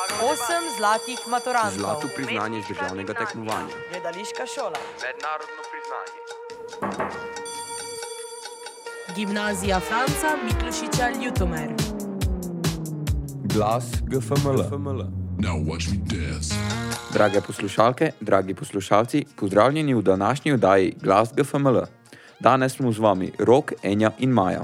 8 zlatih maturantov. Zlato priznanje z državnega tekmovanja. Gledališka šola. Mednarodno priznanje. Gimnazija Franca Miklošiča Ljutomer. Glas GFML. Now watch me dance. Drage poslušalke, dragi poslušalci, pozdravljeni v današnji oddaji Glas GFML. Danes smo z vami Rok, Enja in Maja.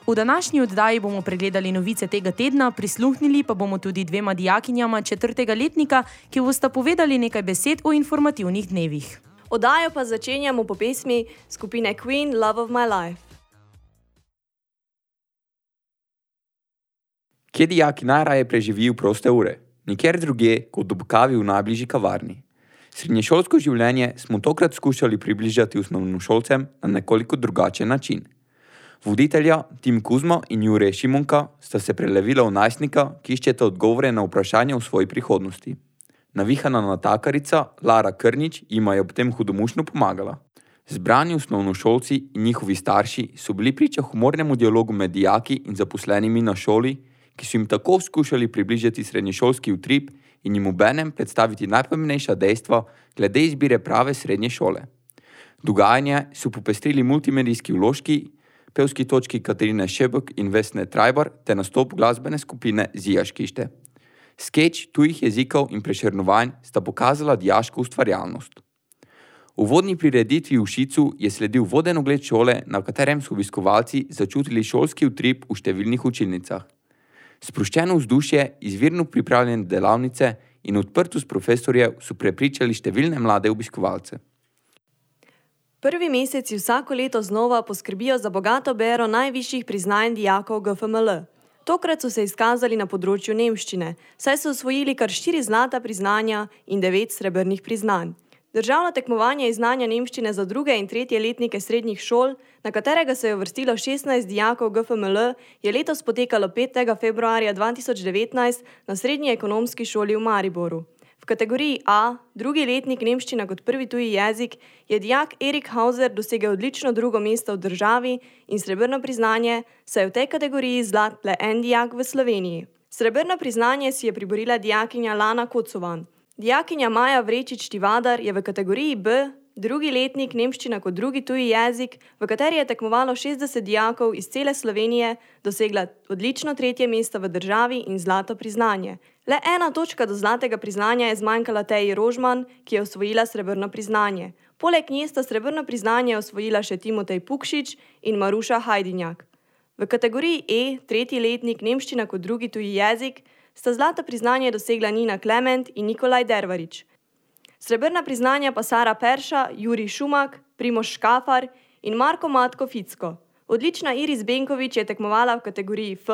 V današnji oddaji bomo pregledali novice tega tedna, prisluhnili pa bomo tudi dvema dijakinjama 4. letnika, ki bosta povedali nekaj besed o informativnih dnevih. Oddajo pa začenjamo po pesmi skupine Queen Love of My Life. Kje dijaki najraje preživijo proste ure? Nikjer drugje kot ob kavi v najbližji kavarni. Srednješolsko življenje smo tokrat skušali približati osnovnošolcem na nekoliko drugačen način. Voditelja Tim Kuzma in Jure Šimunka sta se prelevila v najstnika, ki iščeta odgovore na vprašanja o svoji prihodnosti. Navihana natakarica Lara Krnič jima je ob tem hudomušno pomagala. Zbrani osnovnošolci in njihovi starši so bili priča humornemu dialogu med dijaki in zaposlenimi na šoli, ki so jim tako skušali približati srednješolski utrip in jim obenem predstaviti najpomembnejša dejstva glede izbire prave srednje šole. Dogajanje so popestrili multimedijski vložki, pevski točki Katarine Šebek in Vesne Trajbar ter nastop glasbene skupine Zijaškište. Skeč tujih jezikov in prešernovanj sta pokazala dijaško ustvarjalnost. V uvodni prireditvi v Šicu je sledil voden ogled šole, na katerem so obiskovalci začutili šolski utrip v številnih učilnicah. Sproščeno vzdušje, izvirno pripravljene delavnice in odprtost profesorjev so prepričali številne mlade obiskovalce. Prvi meseci vsako leto znova poskrbijo za bogato bero najvišjih priznanj dijakov GFML. Tokrat so se izkazali na področju nemščine, saj so osvojili kar 4 zlata priznanja in 9 srebrnih priznanj. Državno tekmovanje iz znanja nemščine za 2. in 3. letnike srednjih šol, na katerega se je uvrstilo 16 dijakov GFML, je letos potekalo 5. februarja 2019 na Srednji ekonomski šoli v Mariboru. V kategoriji A, 2. letnik nemščina kot prvi tuji jezik, je dijak Erik Hauser dosegel odlično 2. mesto v državi in srebrno priznanje, saj je v tej kategoriji zlat le en dijak v Sloveniji. Srebrno priznanje si je priborila dijakinja Lana Kocovan. Dijakinja Maja Vrečič-Tivadar je v kategoriji B, 2. letnik nemščina kot drugi tuji jezik, v kateri je tekmovalo 60 dijakov iz cele Slovenije, dosegla odlično 3. mesto v državi in zlato priznanje. Le 1 točka do zlatega priznanja je zmanjkala Teji Rožman, ki je osvojila srebrno priznanje. Poleg nje sta srebrno priznanje osvojila še Timotej Pukšič in Maruša Hajdinjak. V kategoriji E, 3. letnik nemščina kot drugi tuji jezik, sta zlato priznanje dosegla Nina Klement in Nikolaj Dervarič. Srebrna priznanja pa Sara Perša, Jurij Šumak, Primož Škafar in Marko Matko Ficko. Odlična Iris Benkovič je tekmovala v kategoriji F,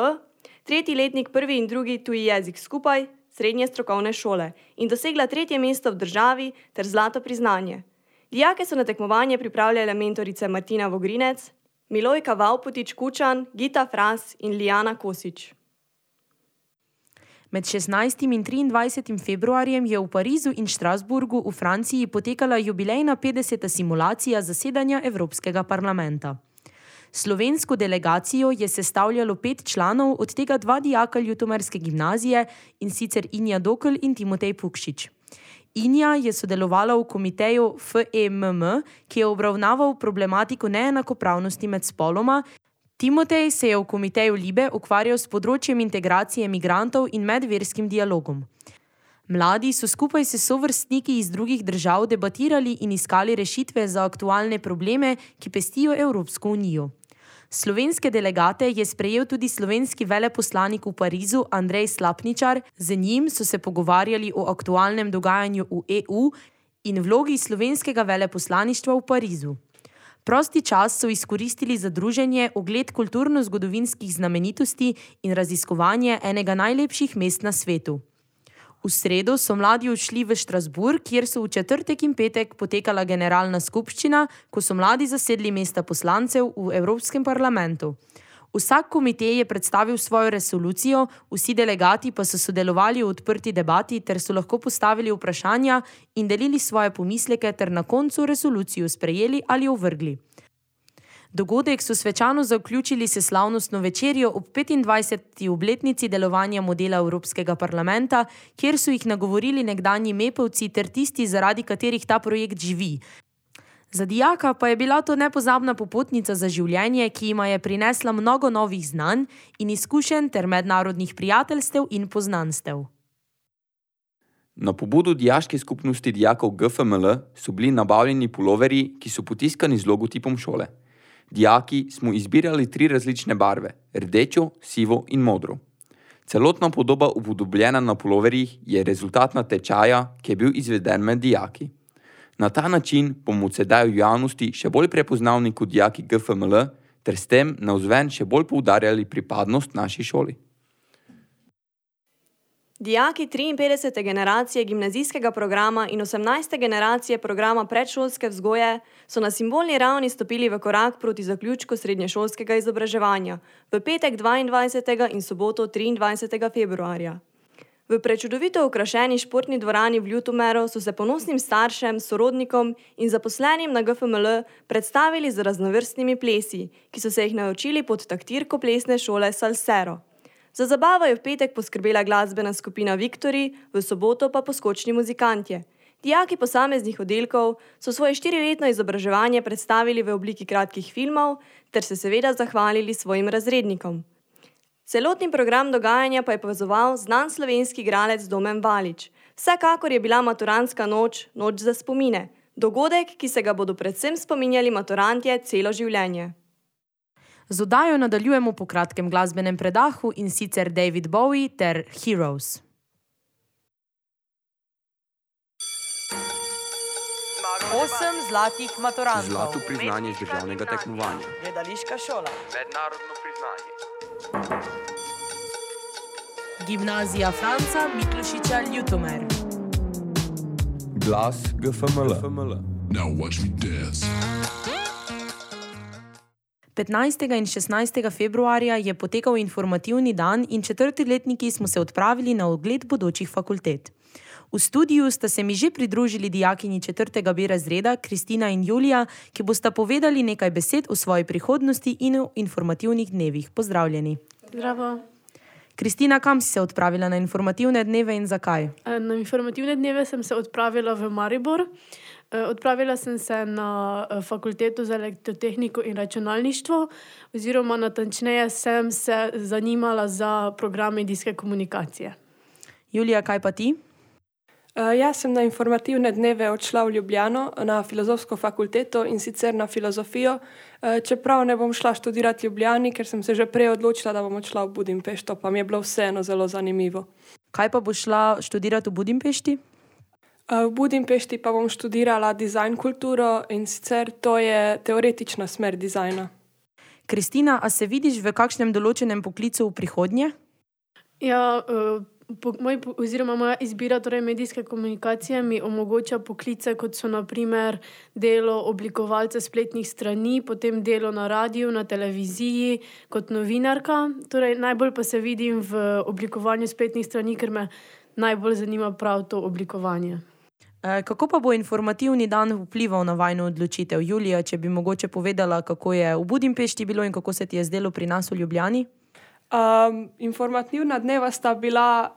3. letnik prvi in drugi tuji jezik skupaj, srednje strokovne šole, in dosegla 3. mesto v državi ter zlato priznanje. Dijake so na tekmovanje pripravljale mentorice Martina Vogrinec, Milojka Vavpotič Kučan, Gita Fras in Lijana Kosič. Med 16. in 23. februarjem je v Parizu in Strasburgu v Franciji potekala jubilejna 50. simulacija zasedanja Evropskega parlamenta. Slovensko delegacijo je sestavljalo 5 članov, od tega 2 dijaka ljutomerske gimnazije, in sicer Inja Dokl in Timotej Pukšič. Inja je sodelovala v komiteju FEMM, ki je obravnaval problematiko neenakopravnosti med spoloma. Timotej se je v komiteju Libe ukvarjal s področjem integracije migrantov in medverskim dialogom. Mladi so skupaj s sovrstniki iz drugih držav debatirali in iskali rešitve za aktualne probleme, ki pestijo Evropsko unijo. Slovenske delegate je sprejel tudi slovenski veleposlanik v Parizu Andrej Slapničar, z njim so se pogovarjali o aktualnem dogajanju v EU in vlogi slovenskega veleposlaništva v Parizu. Prosti čas so izkoristili za druženje, ogled kulturno-zgodovinskih znamenitosti in raziskovanje enega najlepših mest na svetu. V sredo so mladi odšli v Strasburg, kjer so v četrtek in petek potekala generalna skupščina, ko so mladi zasedli mesta poslancev v Evropskem parlamentu. Vsak komitej je predstavil svojo resolucijo, vsi delegati pa so sodelovali v odprti debati ter so lahko postavili vprašanja in delili svoje pomisleke ter na koncu resolucijo sprejeli ali ovrgli. Dogodek so svečano zaključili s slavnostno večerjo ob 25. obletnici delovanja modela Evropskega parlamenta, kjer so jih nagovorili nekdanji mepevci ter tisti, zaradi katerih ta projekt živi. Za dijaka pa je bila to nepozabna popotnica za življenje, ki jima je prinesla mnogo novih znanj in izkušenj ter mednarodnih prijateljstev in poznanstev. Na pobudo dijaške skupnosti dijakov GFML so bili nabavljeni puloverji, ki so potiskani z logotipom šole. Dijaki smo izbirali 3 različne barve, rdečo, sivo in modro. Celotna podoba upodobljena na puloverjih je rezultat tečaja, ki je bil izveden med dijaki. Na ta način bomo sedaj v javnosti še bolj prepoznavni kot dijaki GFML ter s tem navzven še bolj poudarjali pripadnost naši šoli. Dijaki 53. generacije gimnazijskega programa in 18. generacije programa predšolske vzgoje so na simbolni ravni stopili v korak proti zaključku srednješolskega izobraževanja v petek 22. in soboto 23. februarja. V prečudovito okrašeni športni dvorani v Ljutomeru so se ponosnim staršem, sorodnikom in zaposlenim na GFML predstavili z raznovrstnimi plesi, ki so se jih naučili pod taktirko plesne šole Salsero. Za zabavo je v petek poskrbela glasbena skupina Viktori, v soboto pa poskočni muzikantje. Dijaki posameznih oddelkov so svoje 4-letno izobraževanje predstavili v obliki kratkih filmov ter se seveda zahvalili svojim razrednikom. Celotni program dogajanja pa je povezoval znan slovenski igralec Domen Valič. Vsekakor je bila maturantska noč za spomine, dogodek, ki se ga bodo predvsem spominjali maturantje celo življenje. Z oddajo nadaljujemo po kratkem glasbenem predahu in sicer David Bowie ter Heroes. Osem zlatih maturantov. Zlato priznanje z državnega tekmovanja. Gledališka šola. Mednarodno priznanje. Gimnazija Franca Miklošiča Ljutomer. Glas GFML. Now watch me dance. 15. in 16. februarja je potekal informativni dan in 4-letniki smo se odpravili na ogled bodočih fakultet. V studiu sta se mi že pridružili dijakinji 4. B razreda Kristina in Julija, ki bosta povedali nekaj besed o svoji prihodnosti in o informativnih dnevih. Pozdravljeni. Zdravo. Kristina, kam si se odpravila na informativne dneve in zakaj? Na informativne dneve sem se odpravila v Maribor. Odpravila sem se na fakulteto za elektrotehniko in računalništvo, oziroma natančneje sem se zanimala za program medijske komunikacije. Julija, kaj pa ti? Jaz sem na informativne dneve odšla v Ljubljano na filozofsko fakulteto in sicer na filozofijo, čeprav ne bom šla študirati v Ljubljani, ker sem se že prej odločila, da bom odšla v Budimpešto, pa mi je bilo vseeno zelo zanimivo. Kaj pa boš šla študirati v Budimpešti? V Budimpešti pa bom študirala dizajn kulturo in sicer to je teoretična smer dizajna. Kristina, a se vidiš v kakšnem določenem poklicu v prihodnje? Ja, moja izbira torej medijske komunikacije mi omogoča poklice, kot so na primer delo oblikovalca spletnih strani, potem delo na radiju, na televiziji, kot novinarka. Torej, najbolj pa se vidim v oblikovanju spletnih strani, ker me najbolj zanima prav to oblikovanje. Kako pa bo informativni dan vplival na vajno odločitev? Julija, če bi mogoče povedala, kako je v Budimpešti bilo in kako se ti je zdelo pri nas v Ljubljani? Informativna dneva sta bila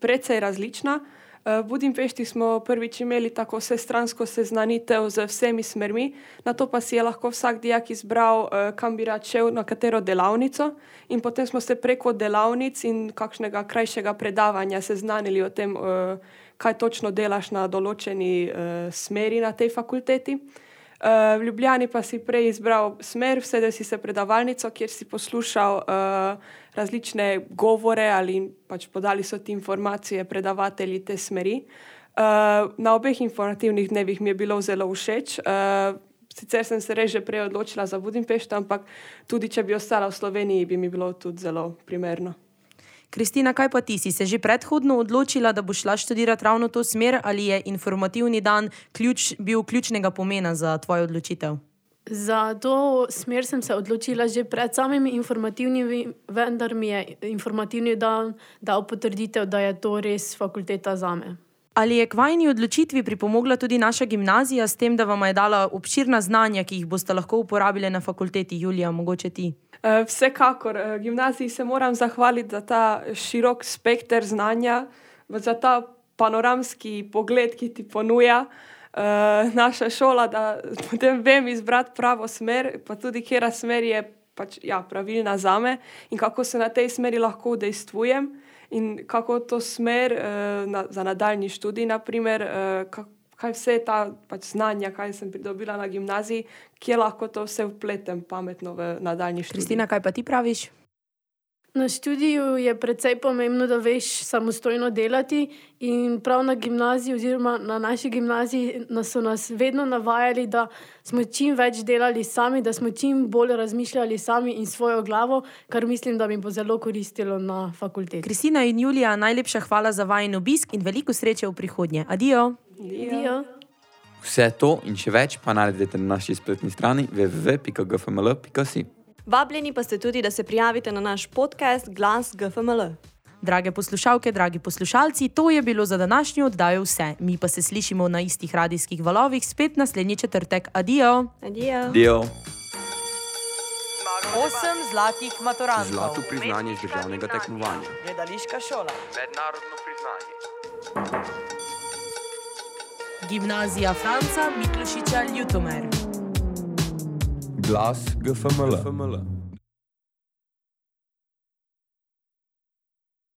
precej različna. V Budimpešti smo prvič imeli tako vsestransko seznanitev z vsemi smermi, nato pa si je lahko vsak dijak izbral, kam bi rad šel, na katero delavnico, in potem smo se preko delavnic in kakšnega krajšega predavanja seznanili o tem, kaj točno delaš na določeni smeri na tej fakulteti. V Ljubljani pa si prej izbral smer, vsedel si se predavalnico, kjer si poslušal različne govore ali pač podali so ti informacije predavatelji te smeri. Na obeh informativnih dnevih mi je bilo zelo všeč. Sicer sem se res že prej odločila za Budimpešto, ampak tudi če bi ostala v Sloveniji, bi mi bilo tudi zelo primerno. Kristina, kaj pa ti? Si se že predhodno odločila, da boš šla študirati ravno to smer, ali je informativni dan bil ključnega pomena za tvojo odločitev? Za to smer sem se odločila že pred samimi informativnimi, vendar mi je informativni dan dal potrditev, da je to res fakulteta zame. Ali je k vajni odločitvi pripomogla tudi naša gimnazija s tem, da vam je dala obširna znanja, ki jih boste lahko uporabili na fakulteti? Julija, mogoče ti? Vsekakor. Gimnaziji se moram zahvaliti za ta širok spekter znanja, za ta panoramski pogled, ki ti ponuja naša šola, da potem vem izbrati pravo smer, pa tudi katera smer je pač, pravilna zame in kako se na tej smeri lahko udejstvujem in kako to smer za nadaljnji študij, naprimer, kaj vse ta pač znanja, kaj sem pridobila na gimnaziji, kje lahko to vse vpletem pametno v nadaljnji študij. Kristina, kaj pa ti praviš? Na študiju je precej pomembno, da veš samostojno delati in prav na gimnaziji oziroma na naši gimnaziji so nas vedno navajali, da smo čim več delali sami, da smo čim bolj razmišljali sami in svojo glavo, kar mislim, da mi bo zelo koristilo na fakulteti. Kristina in Julija, najlepša hvala za vajin obisk in veliko sreče v prihodnje. Adijo! Adijo! Vse to in še več pa naredite na naši spletni strani www.gfml.si. Vabljeni pa ste tudi, da se prijavite na naš podcast Glas GFML. Drage poslušalke, dragi poslušalci, to je bilo za današnjo oddajo vse. Mi pa se slišimo na istih radijskih valovih spet naslednji četrtek. Adijo! Adijo! Adijo! 8 zlatih maturantov. Zlato priznanje z državnega tekmovanja. Gledališka šola. Mednarodno priznanje. Gimnazija Franca Miklošiča Ljutomer. Glas GFML.